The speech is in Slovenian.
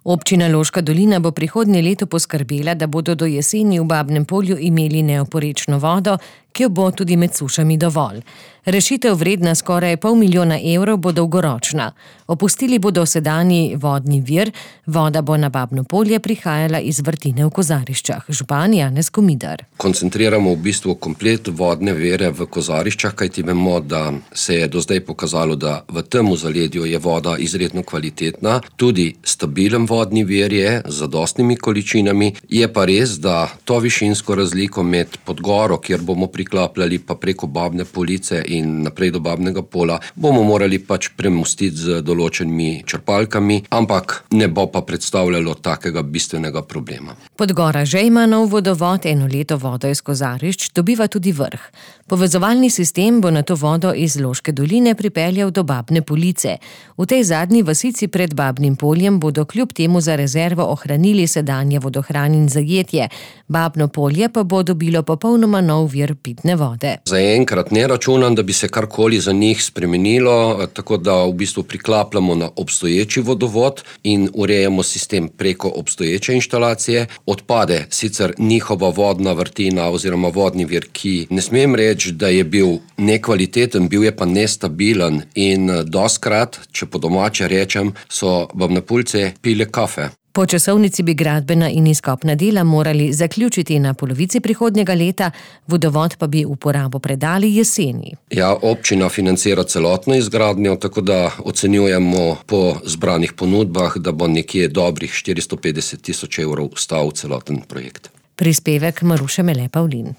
Občina Loška dolina bo prihodnje leto poskrbela, da bodo do jeseni v Babnem Polju imeli neoporečno vodo, ki jo bo tudi med sušami dovolj. Rešitev vredna skoraj $500 000 bo dolgoročna. Opustili bodo sedanji vodni vir, voda bo na Babno Polje prihajala iz vrtine v Kozariščah. Župan Janez Komidar. Koncentriramo v bistvu komplet vodne vire v Kozariščah, kajti vemo, da se je do zdaj pokazalo, da v tem zaledju je voda izredno kvalitetna, tudi stabilen vodni vir je z zadostnimi količinami. Je pa res, da to višinsko razliko med Podgoro, kjer bomo priklapljali pa preko Babne Police in naprej do Babnega Pola, bomo morali pač premostiti z določenimi črpalkami, ampak ne bo pa predstavljalo takega bistvenega problema. Podgora že ima nov vodovod, eno leto vodo iz Kozarišč dobiva tudi Vrh. Povezovalni sistem bo na to vodo iz Loške doline pripeljal do Babne Police. V tej zadnji vasici pred Babnim Poljem bodo kljub temu za rezervo ohranili sedanje vodohran in zajetje. Babno Polje pa bo dobilo popolnoma nov vir pitne vode. Zaenkrat ne računam, da bi se karkoli za njih spremenilo, tako da v bistvu priklapljamo na obstoječi vodovod in urejamo sistem preko obstoječe inštalacije. Odpade sicer njihova vodna vrtina oziroma vodni vir, ki ne smem reči, da je bil nekvaliteten, bil je pa nestabilen in dostkrat, če po domače rečem, so Babnopoljce pile kafe. Po časovnici bi gradbena in izkopna dela morali zaključiti na polovici prihodnjega leta, vodovod pa bi uporabo predali jeseni. Ja, občina financira celotno izgradnjo, tako da ocenjujemo po zbranih ponudbah, da bo nekje dobrih 450 000 € stal celoten projekt. Prispevek Maruše Mele Pavlin.